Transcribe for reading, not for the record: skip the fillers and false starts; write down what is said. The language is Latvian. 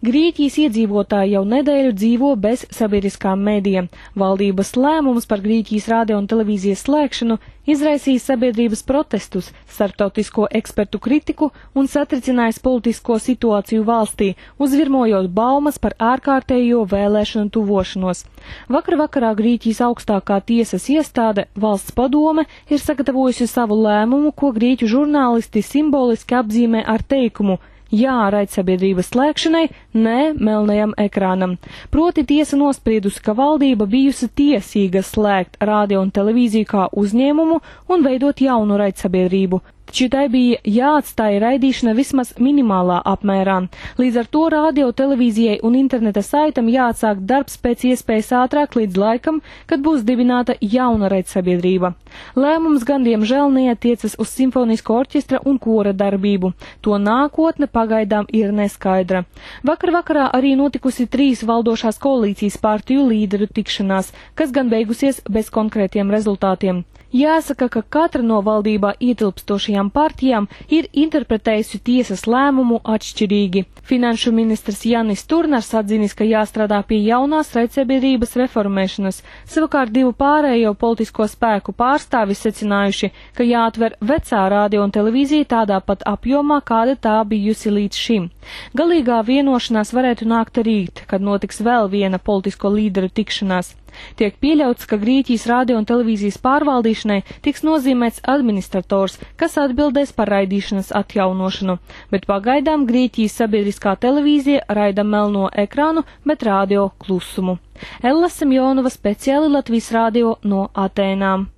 Grieķijas iedzīvotāji jau nedēļu dzīvo bez sabiedriskām mēdījiem. Valdības lēmums par Grieķijas radio un televīzijas slēgšanu izraisījis sabiedrības protestus, starptautisko ekspertu kritiku un satricinājis politisko situāciju valstī, uzvirmojot baumas par ārkārtējo vēlēšanu tuvošanos. Vakar vakarā Grieķijas augstākā tiesas iestāde, Valsts padome, ir sagatavojusi savu lēmumu, ko grieķu žurnālisti simboliski apzīmē ar teikumu: jā raidsabiedrības slēgšanai, nē melnajam ekrānam. Proti tiesa nospriedusi, ka valdība bijusi tiesīga slēgt radio un televīziju kā uzņēmumu un veidot jaunu raidsabiedrību. Taču tai bija jāatstāja raidīšana vismaz minimālā apmērā. Līdz ar to radio, televīzijai un interneta saitam jāatsāk darbs pēc iespējas ātrāk līdz laikam, kad būs dibināta jauna raidsabiedrība. Lēmums gan diemžēl neatiecas uz simfonisko orķestra un kora darbību. To nākotne pagaidām ir neskaidra. Vakar vakarā arī notikusi 3 valdošās koalīcijas partiju līderu tikšanās, kas gan beigusies bez konkrētiem rezultātiem. Jāsaka, ka katra no valdībā ietilpstošajām partijām ir interpretējusi tiesas lēmumu atšķirīgi. Finanšu ministrs Jānis Turnars atzinis, ka jāstrādā pie jaunās raidsabiedrības reformēšanas. Savukārt 2 pārējo politisko spēku pārstāvi secinājuši, ka jāatver vecā radio un televīzija tādā pat apjomā, kāda tā bijusi līdz šim. Galīgā vienošanās varētu nākt rīt, kad notiks vēl viena politisko līderu tikšanās. Tiek pieļauts, ka Grieķijas radio un televīzijas pārvaldīšanai tiks nozīmēts administrators, kas atbildēs par raidīšanas atjaunošanu, bet pagaidām Grieķijas sabiedriskā televīzija raida melno ekrānu, bet radio klusumu. Ella Semjonova, speciāli Latvijas radio no Atēnām.